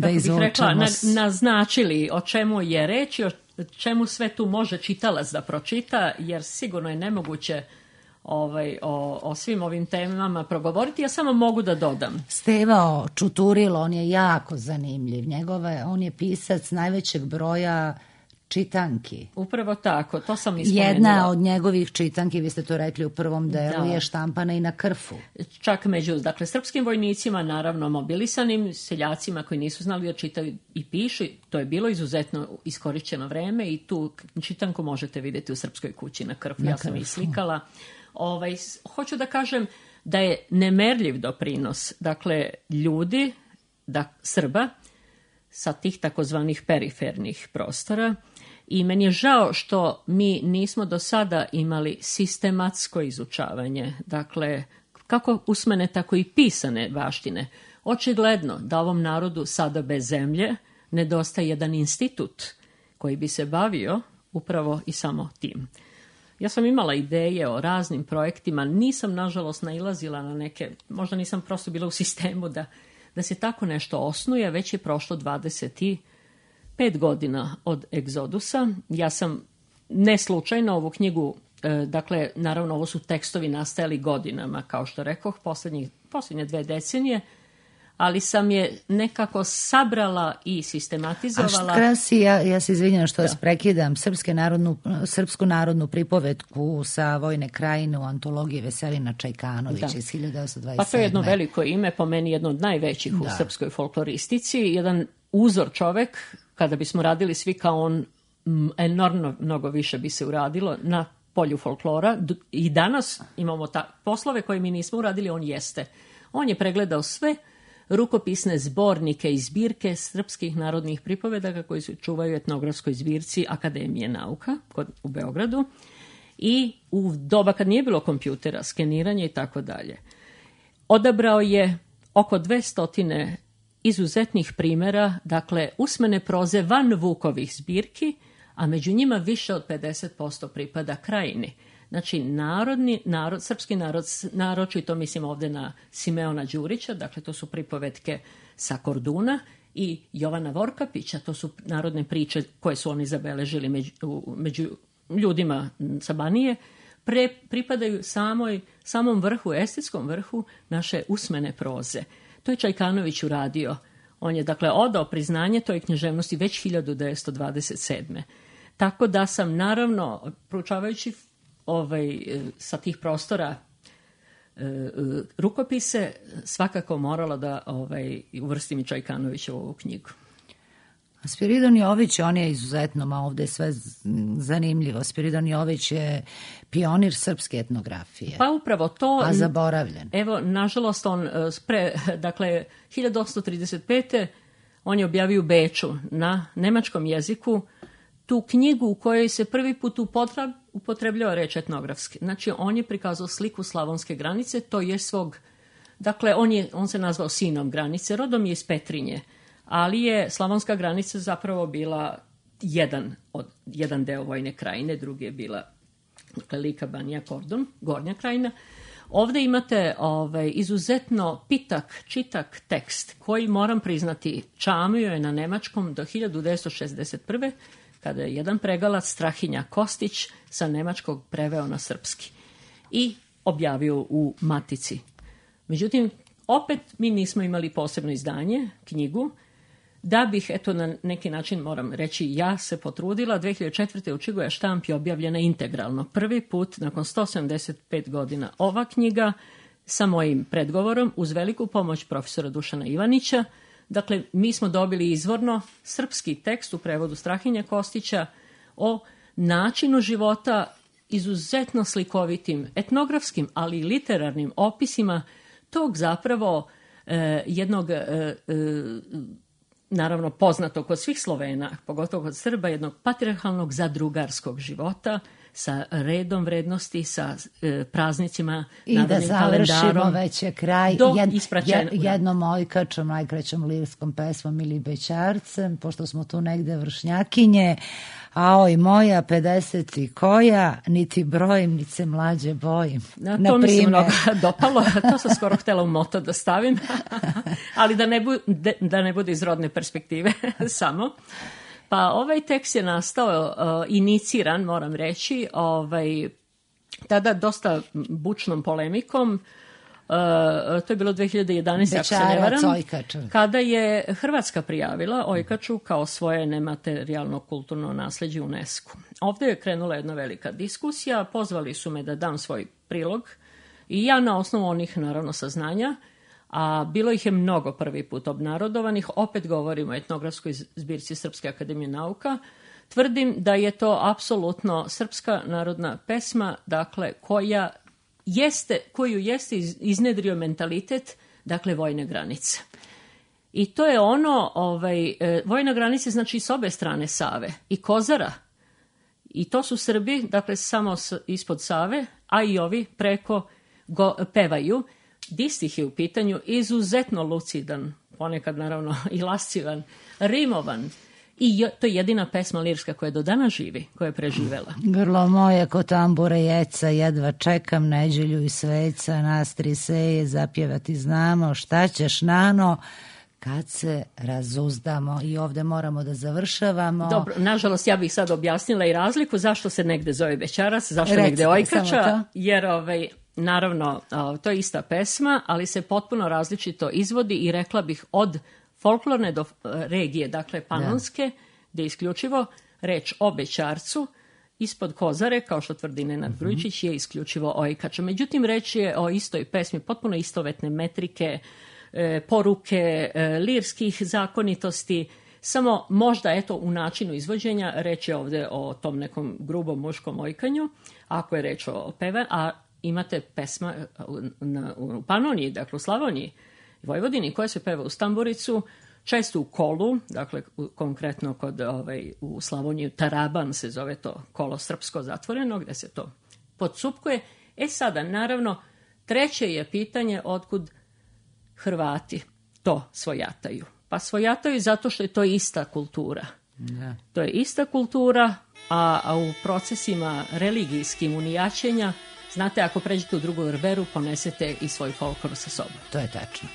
kako bih rekla, naznačili o čemu je reč i o čemu sve tu može čitalac da pročita, jer sigurno je nemoguće o svim ovim temama progovoriti. Ja samo mogu da dodam. Stevao Čuturilo, on je jako zanimljiv. On je pisac najvećeg broja čitanki. Upravo tako, to sam ispomenula. Jedna od njegovih čitanki, vi ste to rekli u prvom delu, je štampana i na krfu. Čak među, srpskim vojnicima, naravno mobilisanim, seljacima koji nisu znali da čitaju i pišu, to je bilo izuzetno iskorišćeno vreme i tu čitanku možete vidjeti u Srpskoj kući na krfu. Ja sam ih slikala. Hoću da kažem da je nemerljiv doprinos, ljudi, Srba, sa tih takozvanih perifernih prostora. I meni je žao što mi nismo do sada imali sistematsko izučavanje, kako usmene, tako i pisane baštine. Očigledno da ovom narodu sada bez zemlje nedostaje jedan institut koji bi se bavio upravo i samo tim. Ja sam imala ideje o raznim projektima, nisam nažalost nailazila na neke, možda nisam prosto bila u sistemu da se tako nešto osnuje, već je prošlo 25 godina od egzodusa. Ja sam ne slučajno ovu knjigu, naravno ovo su tekstovi nastajali godinama, kao što rekoh, posljednje 2 decenije, ali sam je nekako sabrala i sistematizovala. A krasi, ja se izvinjam što vas prekidam, srpsku narodnu pripovetku sa Vojne krajine u antologiji Veselina Čajkanovića iz 1927. Pa to je jedno veliko ime, po meni jedno od najvećih u srpskoj folkloristici, jedan uzor čovek, kada bismo radili svi kao on, enormno mnogo više bi se uradilo na polju folklora. I danas imamo poslove koje mi nismo uradili, on jeste. On je pregledao sve rukopisne zbornike i zbirke srpskih narodnih pripovedaka koji se čuvaju u etnografskoj zbirci Akademije nauka u Beogradu i u doba kad nije bilo kompjutera, skeniranja i tako dalje. Odabrao je oko 200 izuzetnih primjera, usmene proze van Vukovih zbirki, a među njima više od 50% pripada krajini. Znači, srpski narod, naročito mislim ovdje na Simeona Đurića, to su pripovetke sa Korduna, i Jovana Vorkapića, to su narodne priče koje su oni zabeležili među ljudima sa Banije, pripadaju samom vrhu, estetskom vrhu naše usmene proze. To je Čajkanović uradio. On je, odao priznanje toj književnosti već 1927. Tako da sam, naravno, proučavajući sa tih prostora rukopise, svakako morala da uvrstim i Čajkanovića u ovu knjigu. Spiridon Jović, on je izuzetno, ovdje je sve zanimljivo. Spiridon Jović je pionir srpske etnografije. Pa upravo to. A zaboravljen. Evo, nažalost, on 1835. on je objavio u Beču na nemačkom jeziku tu knjigu u kojoj se prvi put upotrebljava reč etnografski. Znači, on je prikazao sliku slavonske granice, to je svog, on se nazvao sinom granice, rodom je iz Petrinje, ali je Slavonska granica zapravo bila jedan deo Vojne krajine, drugi je bila Lika, Banija, Kordun, Gornja krajina. Ovde imate izuzetno pitak, čitak tekst koji, moram priznati, čamio je na nemačkom do 1961. kada je jedan pregalac, Strahinja Kostić, sa nemačkog preveo na srpski i objavio u Matici. Međutim, opet mi nismo imali posebno izdanje, knjigu, da bih, eto, na neki način, moram reći, ja se potrudila. 2004. u Čigoja štampi objavljena integralno. Prvi put, nakon 175 godina, ova knjiga sa mojim predgovorom, uz veliku pomoć profesora Dušana Ivanića. Dakle, mi smo dobili izvorno srpski tekst u prevodu Strahinja Kostića o načinu života, izuzetno slikovitim etnografskim, ali i literarnim opisima tog zapravo jednog naravno poznato kod svih Slovena, pogotovo kod Srba, jednog patrijarhalnog zadrugarskog života sa redom vrednosti, sa praznicima, i da završimo kalendarom, već je kraj jednom ojkačom, najkraćom lirskom pesmom ili bećarcem, pošto smo tu negde vršnjakinje. Aoj moja 50 i koja, niti brojim, niti se mlađe bojim. To mi se mnogo dopalo, to sam skoro htjela u moto da stavim, ali da ne bude iz rodne perspektive samo. Pa ovaj tekst je nastao, iniciran, moram reći, tada dosta bučnom polemikom. To je bilo 2011. ako se ne varam, kada je Hrvatska prijavila Ojkaču kao svoje nematerijalno kulturno nasleđe UNESCO. Ovdje je krenula jedna velika diskusija, pozvali su me da dam svoj prilog i ja na osnovu onih, naravno, saznanja, a bilo ih je mnogo prvi put obnarodovanih, opet govorimo o etnografskoj zbirci Srpske akademije nauka, tvrdim da je to apsolutno srpska narodna pesma, dakle, koju jeste iznedrio mentalitet, dakle, vojne granice. I to je ono, vojna granice znači s obe strane Save i Kozara. I to su Srbi, dakle, samo ispod Save, a i ovi preko pevaju. Distih je u pitanju, izuzetno lucidan, ponekad naravno i lascivan, rimovan. I to je jedina pesma lirska koja do dana živi, koja je preživela. Grlo moje ko tambure jeca, jedva čekam neđelju i sveca, nas tri seje zapjevati znamo, šta ćeš nano kad se razuzdamo. I ovde moramo da završavamo. Dobro, nažalost ja bih sad objasnila i razliku zašto se negde zove bećaras, zašto negde ojkača, jer naravno to je ista pesma, ali se potpuno različito izvodi i rekla bih od folklorne do regije, dakle panonske, gdje je isključivo reč o bećarcu, ispod Kozare, kao što tvrdi Nenad Grujičić, je isključivo ojkača. Međutim, reč je o istoj pesmi, potpuno istovetne metrike, poruke, lirskih zakonitosti, samo možda eto u načinu izvođenja reč je ovdje o tom nekom grubom muškom ojkanju, ako je reč o peve, a imate pesma u Panoniji, dakle u Slavoniji, Vojvodini, koja se peva u stamburicu, često u kolu, dakle konkretno u Slavoniji Taraban se zove to kolo srpsko zatvoreno, gdje se to podsupkuje. Sada, naravno, treće je pitanje otkud Hrvati to svojataju. Pa svojataju zato što je to ista kultura. Da. To je ista kultura, a u procesima religijskim unijačenja, znate, ako pređete u drugu verberu, ponesete i svoj folklor sa sobom. To je tačno.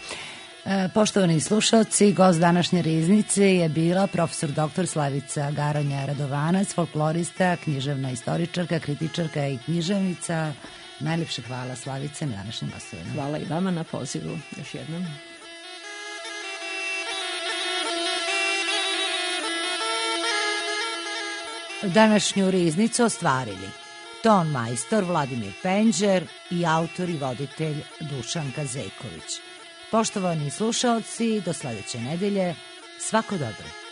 Poštovani slušalci, gost današnje riznice je bila profesor dr. Slavica Garanja Radovanac, folklorista, književna istoričarka, kritičarka i književnica. Najlepše hvala, Slavice, na današnjem gostovanju. Hvala i vama na pozivu još jednom. Današnju riznicu ostvarili ton majstor Vladimir Penđer i autor i voditelj Dušan Kazeković. Poštovani slušaoci, do sledeće nedelje, svako dobro.